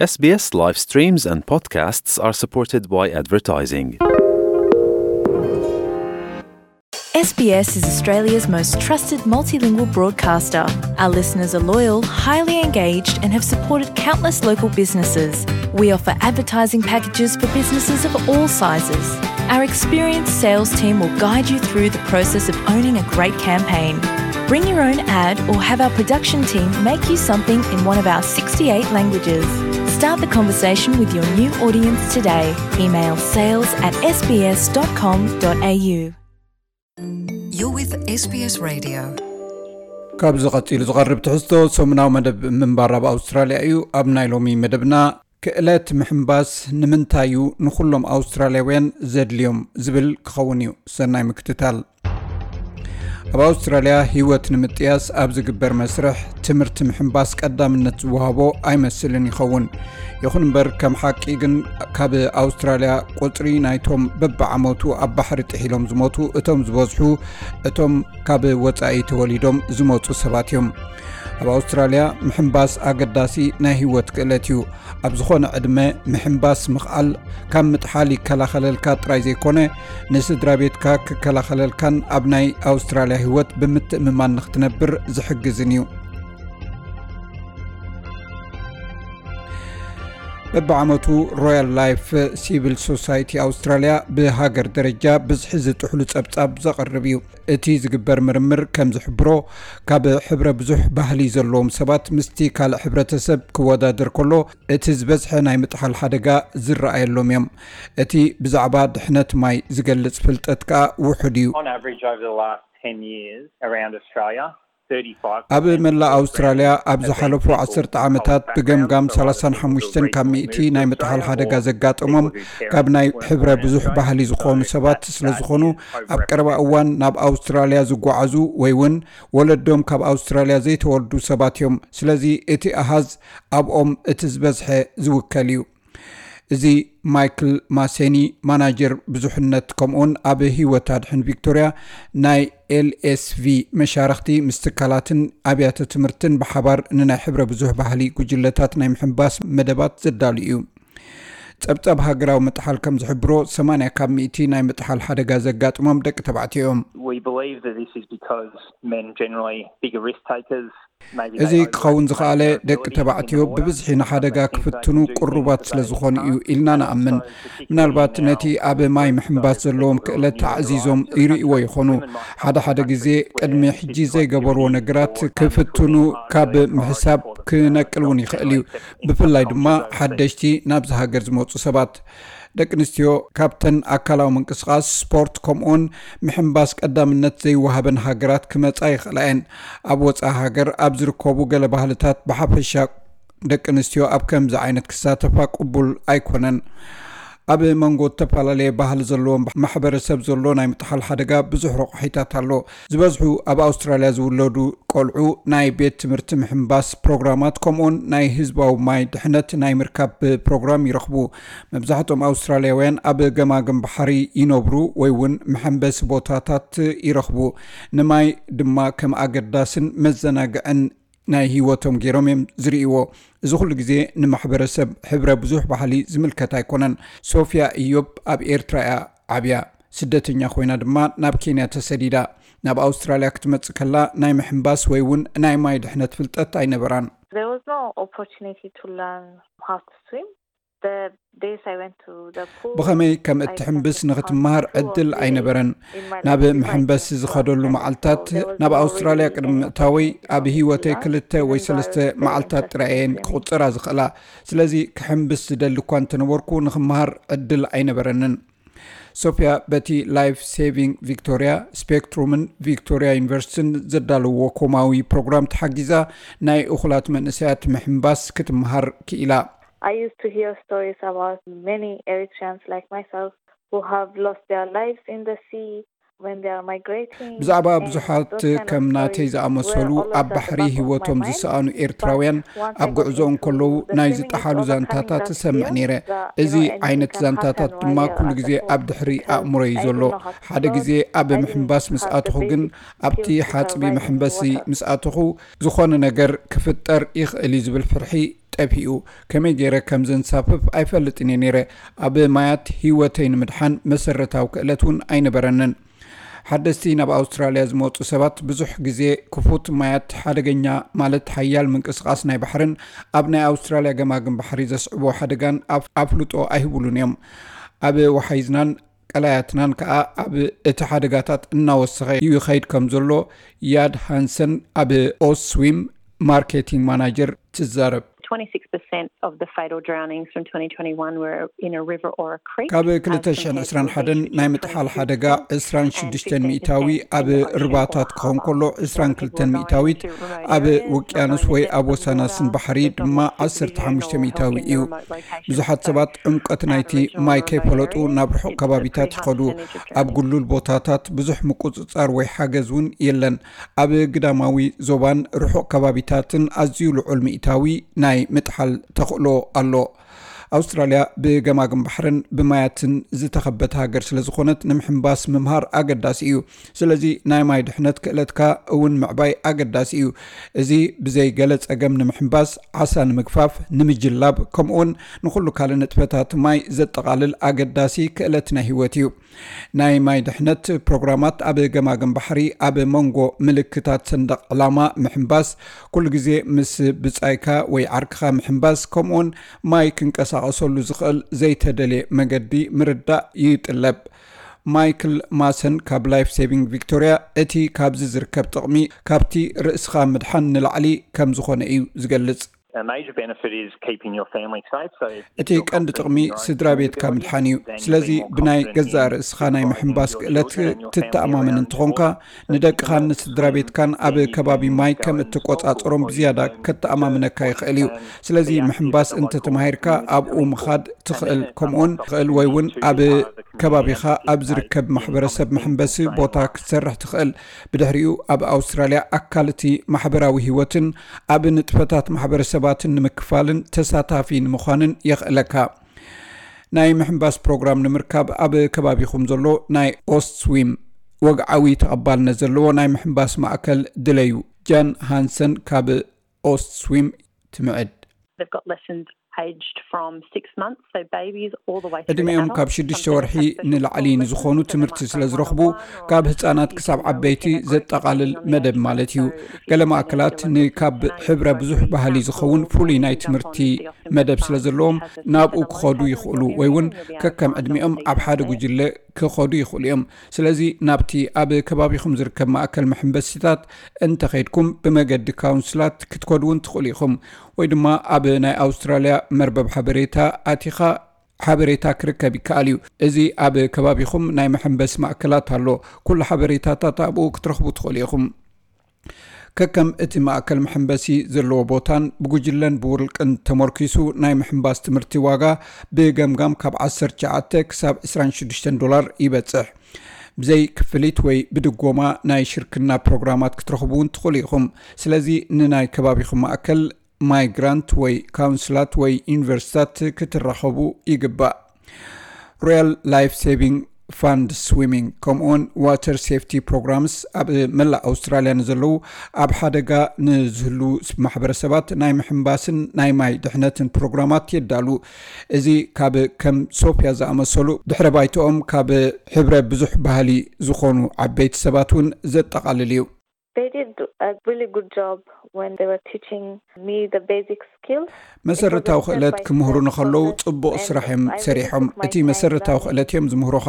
S B S live streams and podcasts are supported by advertising. S B S is Australia's most trusted multilingual broadcaster. Our listeners are loyal, highly engaged, and have supported countless local businesses. We offer advertising packages for businesses of all sizes. Our experienced sales team will guide you through the process of owning a great campaign. Bring your own ad or have our production team make you something in one of our sixty-eight languages. Start the conversation with your new audience today. Email sales at S B S dot com dot A U. You're with S B S Radio. ካብዚ ቀጺሉ ዝቐርብ ትሕዝቶ ሰሙናዊ መደብ ምንባር ኣብ ኣውስትራልያ እዩ። ኣብ ናይ ሎሚ መደብና፣ ክእለት ምሕንባስ ንምንታይ እዩ ንኹሎም ኣውስትራልያውያን ዘድልዮም ዝብል ክኸውን እዩ። ሰናይ ምክትታል። ኣብ ኣውስትራልያ ህይወት ንምጥያስ ኣብ ዝግበር መስርሕ፣ ትምህርቲ ምሕንባስ ቀዳምነት ዝወሃቦ ኣይመስልን ይኸውን። ይኹን እምበር፣ ከም ሓቂ ግን፣ ካብ ኣውስትራልያ ቁጽሪ ናይቶም በብዓመቱ ኣብ ባሕሪ ጥሒሎም ዝሞቱ እቶም ዝበዝሑ፣ እቶም ካብ ወጻኢ ተወሊዶም ዝመጹ ሰባት እዮም። ኣብ ኣውስትራልያ፣ ምሕንባስ ኣገዳሲ ናይ ህይወት ክእለት እዩ። ኣብ ዝኾነ ዕድመ ምሕንባስ ምኽኣል፣ ካብ ምጥሓል ይከላኸለልካ ጥራይ ዘይኮነ፣ ንስድራ ቤትካ ክከላኸለልካን ኣብ ናይ ኣውስትራልያ ህይወት ብምትእምማን ንኽትነብር ዝሕግዝን እዩ። በብዓመቱ፣ ሮያል ላይፍ ሲቪል ሶሳይቲ ኣውስትራልያ ብሃገር ደረጃ ብዝሒ ዝጥሕሉ ጸብጻብ ዘቕርብ እዩ። እቲ ዝግበር ምርምር ከም ዝሕብሮ፣ ካብ ሕብረ ብዙሕ ባህሊ ዘለዎም ሰባት ምስቲ ካልእ ሕብረተሰብ ክወዳደር ከሎ፣ እቲ ዝበዝሐ ናይ ምጥሓል ሓደጋ ዝረኣየሎም እዮም። እቲ ብዛዕባ ድሕነት ማይ ዝገልጽ ፍልጠት ከኣ ውሑድ እዩ። On average, over the last ten years around Australia, thirty-five ኣብ መላእ ኣውስትራልያ ኣብ ዝሓለፉ ዓሰርተ ዓመታት ብገምጋም ሰላሳን ሓሙሽተን ካብ ሚእቲ ናይ ምጥሓል ሓደጋ ዘጋጠሞም ካብ ናይ ሕብረ ብዙሕ ባህሊ ዝኾኑ ሰባት ስለ ዝኾኑ፣ ኣብ ቀረባ እዋን ናብ ኣውስትራልያ ዝጓዓዙ ወይ እውን ወለዶም ካብ ኣውስትራልያ ዘይተወልዱ ሰባት እዮም። ስለዚ እቲ ኣሃዝ ኣብኦም እቲ ዝበዝሐ ዝውከል እዩ። እዚ ማይክል ማሴኒ፣ ማናጀር ብዙሕነት፣ ከምኡውን ኣብ ህይወት ኣድሕን ቪክቶርያ ናይ ኤልኤስቪ መሻርኽቲ ምስ ትካላትን ኣብያተ ትምህርትን ብሓባር ንናይ ሕብረ ብዙሕ ባህሊ ጉጅለታት ናይ ምሕንባስ መደባት ዘዳሉ እዩ። ጸብጻብ ሃገራዊ ምጥሓል ከም ዝሕብሮ፣ ሰማንያ ካብ ሚእቲ ናይ ምጥሓል ሓደጋ ዘጋጥሞም ደቂ ተባዕትዮ እዮም። We believe that this is because men generally bigger risk takers. እዚ ክኸውን ዝኸኣለ፣ ደቂ ተባዕትዮ ብብዝሒ ንሓደጋ ክፍትኑ ቅሩባት ስለ ዝኾኑ እዩ ኢልና ንኣምን። ምናልባት ነቲ ኣብ ማይ ምሕንባስ ዘለዎም ክእለት ኣዕዚዞም ይርእይዎ ይኾኑ። ሓደ ሓደ ግዜ ቅድሚ ሕጂ ዘይገበርዎ ነገራት ክፍትኑ ካብ ምሕሳብ ክነቅል እውን ይኽእል እዩ። ብፍላይ ድማ ሓደሽቲ ናብዚ ሃገር ዝመጹ ሰባት። ደቂ ኣንስትዮ ካብተን ኣካላዊ ምንቅስቓስ፣ ስፖርት፣ ከምኡውን ምሕንባስ ቀዳምነት ዘይወሃበን ሃገራት ክመጻ ይኽእላ እየን። ኣብ ወጻኢ ሃገር ኣብ ዝርከቡ ገለ ባህልታት ብሓፈሻ ደቂ ኣንስትዮ ኣብ ከምዚ ዓይነት ክሳተፋ ቅቡል ኣይኮነን። ኣብ መንጎ ዝተፈላለየ ባህሊ ዘለዎም ማሕበረሰብ ዘሎ ናይ ምጥሓል ሓደጋ ብዙሕ ረቋሒታት ኣሎ። ዝበዝሑ ኣብ ኣውስትራልያ ዝውለዱ ቆልዑ ናይ ቤት ትምህርቲ ምሕንባስ ፕሮግራማት፣ ከምኡውን ናይ ህዝባዊ ማይ ድሕነት ናይ ምርካብ ፕሮግራም ይረኽቡ። መብዛሕትኦም ኣውስትራልያውያን ኣብ ገማግም ባሕሪ ይነብሩ ወይ እውን መሐንበሲ ቦታታት ይረኽቡ። ንማይ ድማ ከም ኣገዳስን መዘናግዕን ናይ ህይወቶም ገይሮም እዮም ዝርእይዎ። እዚ ኩሉ ግዜ ንማሕበረሰብ ሕብረ ብዙሕ ባህሊ ዝምልከት ኣይኮነን። ሶፊያ ኢዮብ ኣብ ኤርትራ እያ ዓብያ። ስደተኛ ኮይና ድማ ናብ ኬንያ ተሰዲዳ። ናብ ኣውስትራልያ ክትመጽእ ከላ ናይ ምሕንባስ ወይ እውን ናይ ማይ ድሕነት ፍልጠት ኣይነበራን። There was no opportunity to learn how to swim. The days I went to the pool, ብኸመይ ከም እትሕንብስ ንኽትመሃር ዕድል ኣይነበረን። ናብ ምሕንበሲ ዝኸደሉ መዓልታት፣ ናብ ኣውስትራልያ ቅድሚ ምእታወይ ኣብ ህይወተይ ክልተ ወይ ሰለስተ መዓልታት ጥራይ እየን ክቑጸራ ዝኽእላ። ስለዚ ክሕንብስ ዝደሊ እኳ እንተነበርኩ፣ ንኽመሃር ዕድል ኣይነበረንን። ሶፊያ በቲ ላይፍ ሴቪንግ ቪክቶሪያ፣ ስፔክትሩምን ቪክቶሪያ ዩኒቨርሲቲን ዘዳለዎ ኮማዊ ፕሮግራም ተሓጊዛ፣ ናይ እኹላት መንእሰያት ምሕንባስ ክትመሃር ክኢላ። I used to hear stories about many Eritreans like myself who have lost their lives in the sea. when they are migrating. ብዛዕባ ብዙሓት ከም ናተይ ዝኣመሰሉ ኣብ ባሕሪ ህይወቶም ዝሰኣኑ ኤርትራውያን ኣብ ጉዕዞ እንከለዉ ናይ ዝጠሓሉ ዛንታታት ትሰምዕ ነይረ። እዚ ዓይነት ዛንታታት ድማ ኩሉ ግዜ ኣብ ድሕሪ ኣእምሮ እዩ ዘሎ። ሓደ ግዜ ኣብ ምሕንባስ ምስ ኣተኹ ግን ኣብቲ ሓጽቢ መሕንበሲ ምስ ኣተኹ ዝኾነ ነገር ክፍጠር ይኽእል እዩ ዝብል ፍርሒ ጠፊኡ። ከመይ ገይረ ከም ዘንሳፍፍ ኣይፈልጥን እየ ነይረ። ኣብ ማያት ህይወተይ ንምድሓን መሰረታዊ ክእለት እውን ኣይነበረንን። ሓደስቲ ናብ ኣውስትራልያ ዝመፁ ሰባት ብዙሕ ግዜ ክፉት ማያት ሓደገኛ ማለት ሓያል ምንቅስቓስ ናይ ባሕርን ኣብ ናይ ኣውስትራልያ ገማግም ባሕሪ ዘስዕቦ ሓደጋን ኣፍልጦ ኣይህብሉን እዮም። ኣብ ወሓይዝናን ቀላያትናን ከዓ ኣብ እቲ ሓደጋታት እናወሰኸ ይኸይድ ከም ዘሎ ያድ ሃንሰን ኣብ ኦስዊም ማርኬቲንግ ማናጀር ትዛረብ። Twenty-six percent of the fatal drownings from twenty twenty-one were in a river or a creek. ካብ ክልተ ሽሕን ዕስራን ሓደን ናይ ምጥሓል ሓደጋ ዕስራን ሽዱሽተን ሚእታዊ ኣብ ርባታት ክኸውን ከሎ ዕስራን ክልተን ሚእታዊት ኣብ ውቅያኖስ ወይ ኣብ ወሰናስን ባሕሪ ድማ ዓሰርተ ሓሙሽተ ሚእታዊ እዩ። ብዙሓት ሰባት ዕምቀት ናይቲ ማይ ከይፈለጡ ናብ ርሑቕ ከባቢታት ይኸዱ። ኣብ ጉሉል ቦታታት ብዙሕ ምቁፅፃር ወይ ሓገዝ እውን የለን። ኣብ ግዳማዊ ዞባን ርሑቕ ከባቢታትን ኣዝዩ ልዑል ሚእታዊ ናይ ምጥሓል ተኽእሎ ኣሎ። ኣውስትራልያ ብገማግም ባሕርን ብማያትን ዝተኸበተ ሃገር ስለ ዝኾነት ንምሕንባስ ምምሃር ኣገዳሲ እዩ። ስለዚ ናይ ማይ ድሕነት ክእለትካ እውን ምዕባይ ኣገዳሲ እዩ። እዚ ብዘይ ገለ ጸገም ንምሕንባስ፣ ዓሳ ንምግፋፍ፣ ንምጅላብ ከምኡውን ንኹሉ ካልእ ንጥፈታት ማይ ዘጠቓልል ኣገዳሲ ክእለት ናይ ህይወት እዩ። ናይ ማይ ድሕነት ፕሮግራማት ኣብ ገማግም ባሕሪ ኣብ መንጎ ምልክታት ሰንደቕ ዕላማ ምሕንባስ ኩሉ ግዜ ምስ ብጻይካ ወይ ዓርክኻ ምሕንባስ ከምኡውን ማይ ክንቀሳቐሰሉ ዝኽእል ዘይተደልየ መገዲ ምርዳእ ይጥለብ። ማይክል ማሰን ካብ ላይፍ ሴቪንግ ቪክቶሪያ እቲ ካብዚ ዝርከብ ጥቕሚ ካብቲ ርእስኻ ምድሓን ንላዕሊ ከም ዝኾነ እዩ ዝገልጽ። A major benefit is keeping your family safe. So እቲ ቀንዲ ጥቕሚ ስድራ ቤትካ ምድሓን እዩ። ስለዚ ብናይ ገዛእ ርእስኻ ናይ ምሕንባስ ክእለት ትተኣማመን እንተኾንካ ንደቅኻን ንስድራ ቤትካን ኣብ ከባቢ ማይ ከም እትቆጻጸሮም ብዝያዳ ከተኣማምነካ ይኽእል እዩ። ስለዚ ምሕንባስ እንተተማሂርካ ኣብኡ ምኻድ ትኽእል፣ ከምኡውን ትኽእል ወይ እውን ኣብ ከባቢኻ ኣብ ዝርከብ ማሕበረሰብ መሕንበሲ ቦታ ክትሰርሕ ትኽእል። ብድሕሪኡ ኣብ ኣውስትራልያ ኣካል እቲ ማሕበራዊ ህይወትን ኣብ ንጥፈታት ማሕበረሰባትን ንምክፋልን ተሳታፊ ንምዃንን የኽእለካ። ናይ ምሕንባስ ፕሮግራም ንምርካብ ኣብ ከባቢኹም ዘሎ ናይ ኦስትስዊም ወግዓዊ ተቐባልነት ዘለዎ ናይ ምሕንባስ ማእከል ድለዩ። ጃን ሃንሰን ካብ ኦስትስዊም ትምዕድ። They've got lessons aged from six months, so babies all the way through to ዕድሚኦም ካብ adults. ሽዱሽተ Some ወርሒ girls have special ንላዕሊ lessons, ንዝኾኑ so they ትምህርቲ might ስለ go ዝረኽቡ one-on-one or ካብ ህፃናት ክሳብ ዓበይቲ ዘጠቓልል መደብ ማለት እዩ። ገለ ማእከላት ንካብ ሕብረ ብዙሕ ባህሊ ዝኸውን ፍሉይ ናይ ትምህርቲ መደብ ስለ ዘለዎም ናብኡ ክኸዱ ይኽእሉ ወይ እውን ከከም ዕድሚኦም ኣብ ሓደ ጉጅለ ክኸዱ ይኽእሉ እዮም። ስለዚ ናብቲ ኣብ ከባቢኹም ዝርከብ ማእከል መሐንበሲታት እንተኸይድኩም ብመገዲ ካውንስላት ክትከዱ እውን ትኽእሉ ኢኹም። ወይ ድማ ኣብ ናይ ኣውስትራልያ መርበብ ሓበሬታ ኣቲኻ ሓበሬታ ክርከብ ይከኣል እዩ። እዚ ኣብ ከባቢኹም ናይ መሐንበሲ ማእከላት ኣሎ። ኩሉ ሓበሬታታት ኣብኡ ክትረኽቡ ትኽእሉ ኢኹም። ከከም እቲ ማእከል መሐንበሲ ዘለዎ ቦታን ብጉጅለን ብውልቅን ተመርኪሱ ናይ ምሕንባስ ትምህርቲ ዋጋ ብገምጋም ካብ ዓሰርተ ትሽዓተ ክሳብ ዕስራን ሽዱሽተን ዶላር ይበጽሕ። ብዘይ ክፍሊት ወይ ብድጎማ ናይ ሽርክና ፕሮግራማት ክትረኽቡ እውን ትኽእሉ ኢኹም። ስለዚ ንናይ ከባቢኹም ማእከል ማይግራንት ወይ ካውንስላት ወይ ዩኒቨርሲታት ክትራኸቡ ይግባእ። ሮያል ላይፍ ሴቪንግ ፋንድ ስዊሚንግ ከምኡውን ዋተር ሴፍቲ ፕሮግራምስ ኣብ መላእ ኣውስትራልያ ንዘለዉ ኣብ ሓደጋ ንዝህሉ ማሕበረሰባት ናይ ምሕንባስን ናይ ማይ ድሕነትን ፕሮግራማት የዳሉ። እዚ ካብ ከም ሶፊያ ዝኣመሰሉ ድሕረ ባይትኦም ካብ ሕብረ ብዙሕ ባህሊ ዝኾኑ ዓበይቲ ሰባት እውን ዘጠቓልል እዩ። They did a really good job when they were teaching me the basic skills. መሰረታዊ ክእለት ክምህሩ ንኸለዉ ጽቡቕ ስራሕ እዮም ሰሪሖም። እቲ መሰረታዊ ክእለት እዮም ዝምህሩኻ።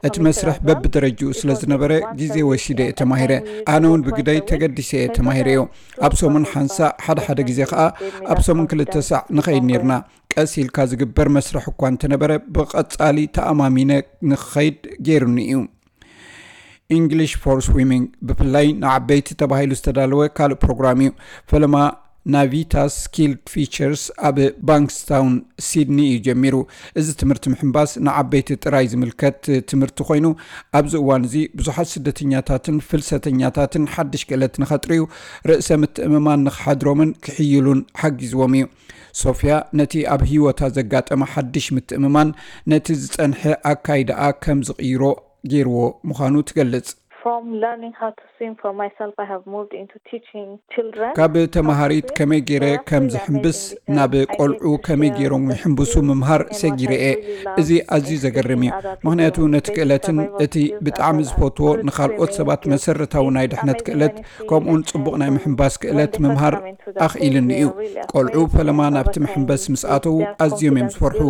እቲ መስርሕ በብደረጅኡ ስለ ዝነበረ ግዜ ወሲደ እየ ተማሂረ። ኣነ እውን ብግደይ ተገዲሰ እየ ተማሂረዮ። ኣብ ሰሙን ሓንሳእ፣ ሓደ ሓደ ግዜ ኸኣ ኣብ ሰሙን ክልተ ሳዕ ንኸይድ ኔርና። ቀስ ኢልካ ዝግበር መስርሕ እኳ እንተነበረ ብቐጻሊ ተኣማሚነ ንኽኸይድ ገይሩኒ እዩ። ኢንግሊሽ ፎር ስዊሚንግ ብፍላይ ንዓበይቲ ተባሂሉ ዝተዳለወ ካልእ ፕሮግራም እዩ። ፈለማ ናቪታ ስኪልድ ፊቸርስ ኣብ ባንክስታውን ሲድኒ እዩ ጀሚሩ። እዚ ትምህርቲ ምሕንባስ ንዓበይቲ ጥራይ ዝምልከት ትምህርቲ ኮይኑ፣ ኣብዚ እዋን እዚ ብዙሓት ስደተኛታትን ፍልሰተኛታትን ሓድሽ ክእለት ንኸጥርዩ፣ ርእሰ ምትእምማን ንኽሓድሮምን ክሕይሉን ሓጊዝዎም እዩ። ሶፊያ ነቲ ኣብ ህይወታ ዘጋጠመ ሓድሽ ምትእምማን ነቲ ዝጸንሐ ኣካይዳኣ ከም ዝቕይሮ ገይርዎ ምዃኑ ትገልጽ። From learning how to swim for myself, I have moved into teaching children. ካብ ተማሃሪት ከመይ ገይረ ከም ዝሕምብስ ናብ ቆልዑ ከመይ ገይሮም ይሕምብሱ ምምሃር ሰጊረ እየ። እዚ ኣዝዩ ዘገርም እዩ፣ ምኽንያቱ ነቲ ክእለትን እቲ ብጣዕሚ ዝፈትዎ ንኻልኦት ሰባት መሰረታዊ ናይ ድሕነት ክእለት ከምኡውን ጽቡቕ ናይ ምሕንባስ ክእለት ምምሃር ኣኽኢልኒ እዩ። ቆልዑ ፈለማ ናብቲ መሕንበስ ምስ ኣተዉ ኣዝዮም እዮም ዝፈርሑ።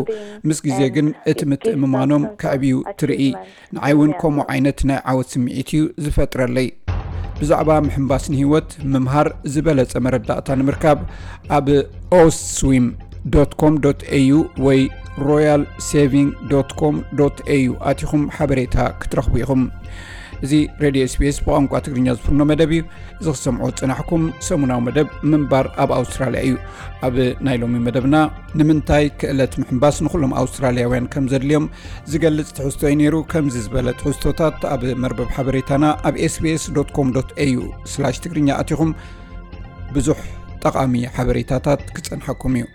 ምስ ግዜ ግን እቲ ምትእምማኖም ከዕብዩ ትርኢ። ንዓይ እውን ከምኡ ዓይነት ናይ ዓወት ስምዒት እዩ ዝፈጥረለይ። ብዛዕባ ምሕንባስ ንህይወት ምምሃር ዝበለጸ መረዳእታ ንምርካብ ኣብ oswim.com.au ወይ royalsaving.com.au ኣቲኹም ሓበሬታ ክትረኽቡ ኢኹም። እዚ ሬድዮ SBS ብቋንቋ ትግርኛ ዝፍኖ መደብ እዩ። እዚ ክሰምዖ ዝጸናሕኩም ሰሙናዊ መደብ ምንባር ኣብ ኣውስትራልያ እዩ። ኣብ ናይ ሎሚ መደብና ንምንታይ ክእለት ምሕንባስ ንኹሎም ኣውስትራልያውያን ከም ዘድልዮም ዝገልጽ ትሕዝቶ እዩ ነይሩ። ከምዚ ዝበለ ትሕዝቶታት ኣብ መርበብ ሓበሬታና ኣብ sbs.com.au/ትግርኛ ኣቲኹም ብዙሕ ጠቓሚ ሓበሬታታት ክጸንሓኩም እዩ።